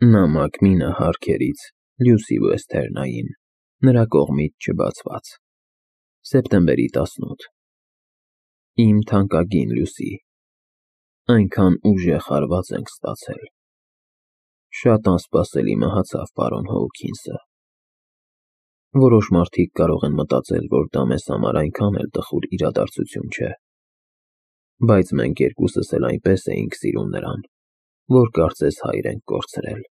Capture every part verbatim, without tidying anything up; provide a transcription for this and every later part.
Նամակ մինը հարքերից Լյուսի Վեսթերնային, նրա կողմից չբացված։ Սեպտեմբերի տասնութ Իմ թանկագին Լյուսի, այնքան ուժեղ հարված ենք ստացել։ Շատ անսպասելի մահացավ պարոն Հոուքինսը։ Որոշ մարդիկ կարող են մտածել, որ դա մեզ համար այնքան էլ տխուր իրադարձություն չէ, բայց մենք երկուսս էլ այնպես էինք սիրում նրան, որ կարծես հայր ենք կորցրել։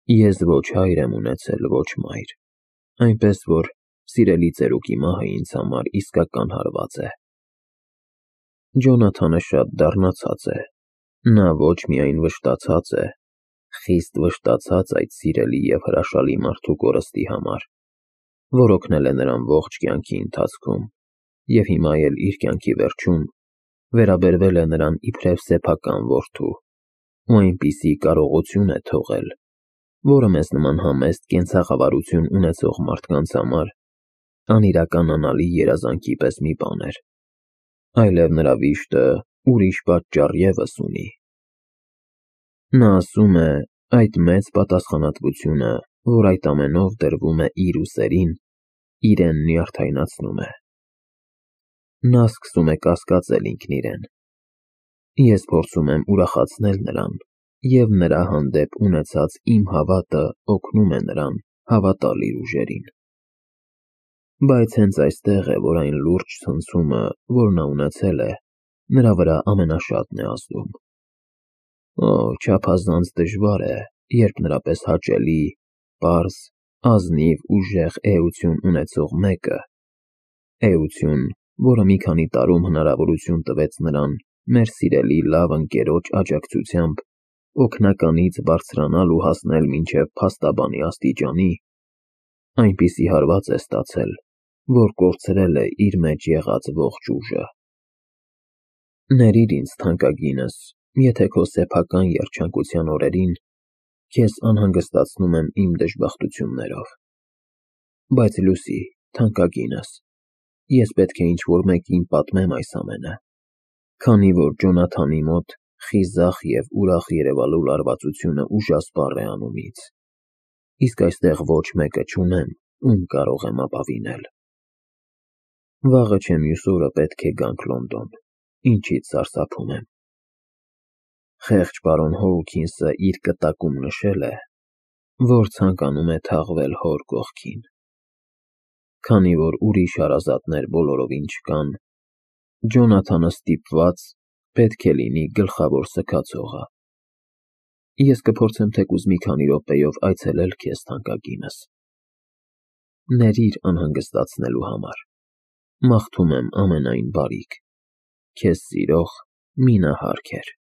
Ես ոչ հայր եմ ունեցել, ոչ մայր, այնպես որ սիրելի ծերուկի մահը ինձ համար իսկական հարված է։ Ջոնաթանը շատ դառնացած է, նա ոչ միայն վշտացած է, խիստ վշտացած այդ սիրելի և հրաշալի մարդու կորստի համար, որ օգնել է նրան ողջ կյանքի ընթացքում և հիմա էլ իր կյանքի վերջում վերաբերվել է նրան իբրև սեփական որդու ու այնպիսի կարողություն է թողել, որը մեզ նման համեստ կենցաղավարություն ունեցող մարդկանց համար անիրականանալի երազանքի պես մի բան էր, այլև նրա վիշտը ուրիշ պատճառ ևս ունի։ Նա ասում է, այդ մեծ պատասխանատվությունը, որ այդ ամենով դրվում է իր ուսերին, իրեն նյարդայնացնում է։ Նա սկսում է կասկածել ինքն իրեն։ Ես փորձում եմ ուրախացնել նրան, և նրա հանդեպ ունեցած իմ հավատը օգնում է նրան հավատալ իր ուժերին։ Բայց հենց այստեղ է, որ այն լուրջ ցնցումը, որ նա ունեցել է, նրա վրա ամենաշատն է ազդում։ Օ, չափազանց դժվար է, երբ նրա պես հաճելի, պարզ, ազնիվ, ուժեղ էություն ունեցող մեկը, էություն, որը մի քանի տարում հնարավորություն տվեց նրան մեր սիրելի լավ ընկերոջ աջակցությամբ օգնականից բարձրանալ ու հասնել մինչև փաստաբանի աստիճանի, այնպիսի հարված է ստացել, որ կորցրել է իր մեջ եղած ողջ ուժը։ Ներիր ինձ, թանկագինս, եթե քո սեփական երջանկության օրերին քեզ անհանգստացնում եմ իմ դժբախտություններով։ Բայց Լյուսի, թանկագինս, ես պետք է ինչ-որ մեկին պատմեմ այս ամենը, քանի որ Ջոնաթանի մոտ խիզախ և ուրախ երևալու լարվածությունը ուժասպառ է անում ինձ, իսկ այստեղ ոչ մեկը չունեմ, ում կարող եմ ապավինել։ Վաղը չէ մյուս օրը պետք է գանք Լոնդոն, ինչից սարսափում եմ։ Խեղճ պարոն Հոուքինսը իր կտակում նշել է, որ ցանկանում է թաղվել հոր կողքին։ Քանի որ ուրիշ հարազատներ բոլորովին չկան, Ջոնաթանը ստիպված պետք է լինի գլխավոր սգացողը։ Ես կփորձեմ թեկուզ մի քանի րոպեով այցելել քեզ, թանկագինս։ Ներիր անհանգստացնելու համար։ Մաղթում եմ ամենայն բարիք։ Քեզ սիրող Մինա Հարքեր։